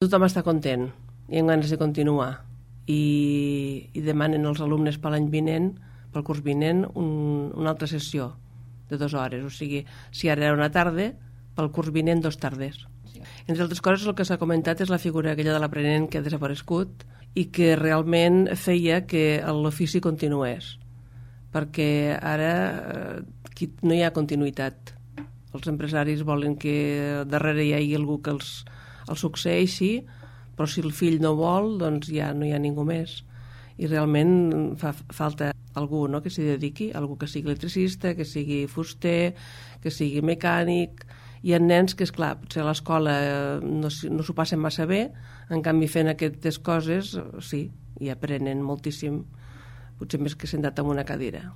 Tothom està content i amb ganes de continuar i demanen als alumnes per l'any vinent, pel curs vinent, una altra sessió de 2 hores. O sigui, si ara era una tarda, pel curs vinent 2 tardes. Entre altres coses, el que s'ha comentat és la figura aquella de l'aprenent que ha desaparegut i que realment feia que l'ofici continués, perquè ara no hi ha continuïtat. Els empresaris volen que darrere hi hagi algú que els succeeixi, però si el fill no vol, doncs ja no hi ha ningú més. I realment fa falta algú, no?, que s'hi dediqui, algú que sigui electricista, que sigui fuster, que sigui mecànic. Hi ha nens que, esclar, potser a l'escola no s'ho passen massa bé, en canvi fent aquestes coses, sí, i aprenen moltíssim, potser més que sentat en una cadira.